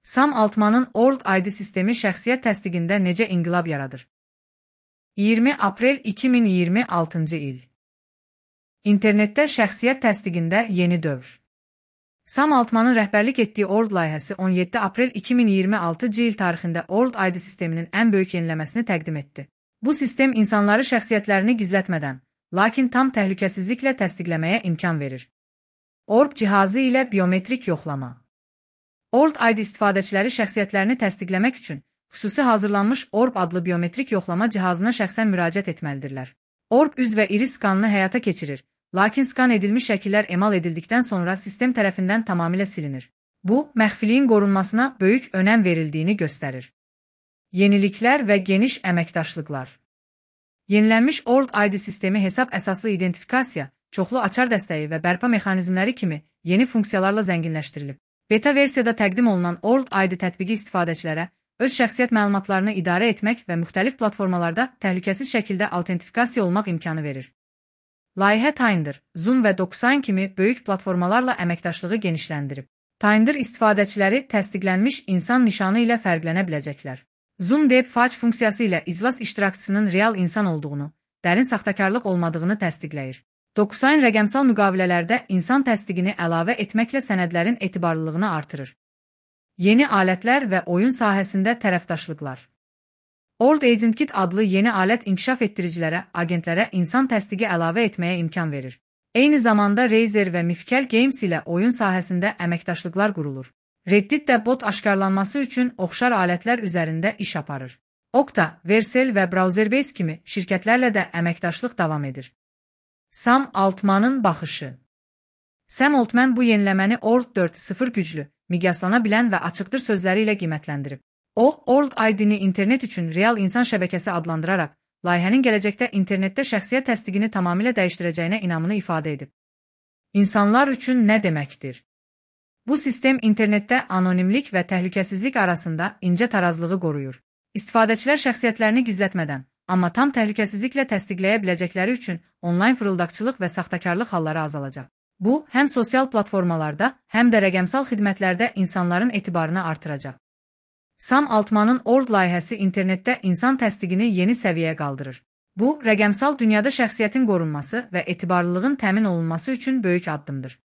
Sam Altmanın World ID sistemi şəxsiyyət təsdiqində necə inqilab yaradır? 20 aprel 2026-cı il. İnternetdə şəxsiyyət təsdiqində yeni dövr. Sam Altmanın rəhbərlik etdiyi World layihəsi 17 aprel 2026-cı il tarixində World ID sisteminin ən böyük yeniləməsini təqdim etdi. Bu sistem insanları şəxsiyyətlərini gizlətmədən, lakin tam təhlükəsizliklə təsdiqləməyə imkan verir. ORB cihazı ilə biometrik yoxlama. World ID istifadəçiləri şəxsiyyətlərini təsdiqləmək üçün xüsusi hazırlanmış ORB adlı biometrik yoxlama cihazına şəxsən müraciət etməlidirlər. ORB üz və iris skanını həyata keçirir, lakin skan edilmiş şəkillər emal edildikdən sonra sistem tərəfindən tamamilə silinir. Bu, məxfiliyin qorunmasına böyük önəm verildiyini göstərir. Yeniliklər və geniş əməkdaşlıqlar. Yenilənmiş World ID sistemi hesab əsaslı identifikasiya, çoxlu açar dəstəyi və bərpa mexanizmləri kimi yeni funksiyalarla zənginləşdirilib. Beta versiyada təqdim olunan World ID tətbiqi istifadəçilərə öz şəxsiyyət məlumatlarını idarə etmək və müxtəlif platformalarda təhlükəsiz şəkildə autentifikasiya olmaq imkanı verir. Layihə Tinder, Zoom və DocSign kimi böyük platformalarla əməkdaşlığı genişləndirib. Tinder istifadəçiləri təsdiqlənmiş insan nişanı ilə fərqlənə biləcəklər. Zoom Deepfake funksiyası ilə iclas iştirakçısının real insan olduğunu, dərin saxtakarlıq olmadığını təsdiqləyir. DocSign rəqəmsal müqavilələrdə insan təsdiqini əlavə etməklə sənədlərin etibarlılığını artırır. Yeni alətlər və oyun sahəsində tərəfdaşlıqlar. World Agent Kit adlı yeni alət inkişaf etdiricilərə, agentlərə insan təsdiqi əlavə etməyə imkan verir. Eyni zamanda Razer və Mifkel Games ilə oyun sahəsində əməkdaşlıqlar qurulur. Reddit də bot aşkarlanması üçün oxşar alətlər üzərində iş aparır. Okta, Vercel və Browserbase kimi şirkətlərlə də əməkdaşlıq davam edir. Sam Altmanın baxışı. Sam Altman bu yeniləməni World 4.0 güclü, miqyaslana bilən və açıqdır sözləri ilə qiymətləndirib. O, World ID-ni internet üçün real insan şəbəkəsi adlandıraraq, layihənin gələcəkdə internetdə şəxsiyyət təsdiqini tamamilə dəyişdirəcəyinə inamını ifadə edib. İnsanlar üçün nə deməkdir? Bu sistem internetdə anonimlik və təhlükəsizlik arasında incə tarazlığı qoruyur. İstifadəçilər şəxsiyyətlərini gizlətmədən, amma tam təhlükəsizliklə təsdiqləyə biləcəkləri üçün onlayn fırıldaqçılıq və saxtakarlıq halları azalacaq. Bu, həm sosial platformalarda, həm də rəqəmsal xidmətlərdə insanların etibarını artıracaq. Sam Altmanın World layihəsi internetdə insan təsdiqini yeni səviyyəyə qaldırır. Bu, rəqəmsal dünyada şəxsiyyətin qorunması və etibarlılığın təmin olunması üçün böyük addımdır.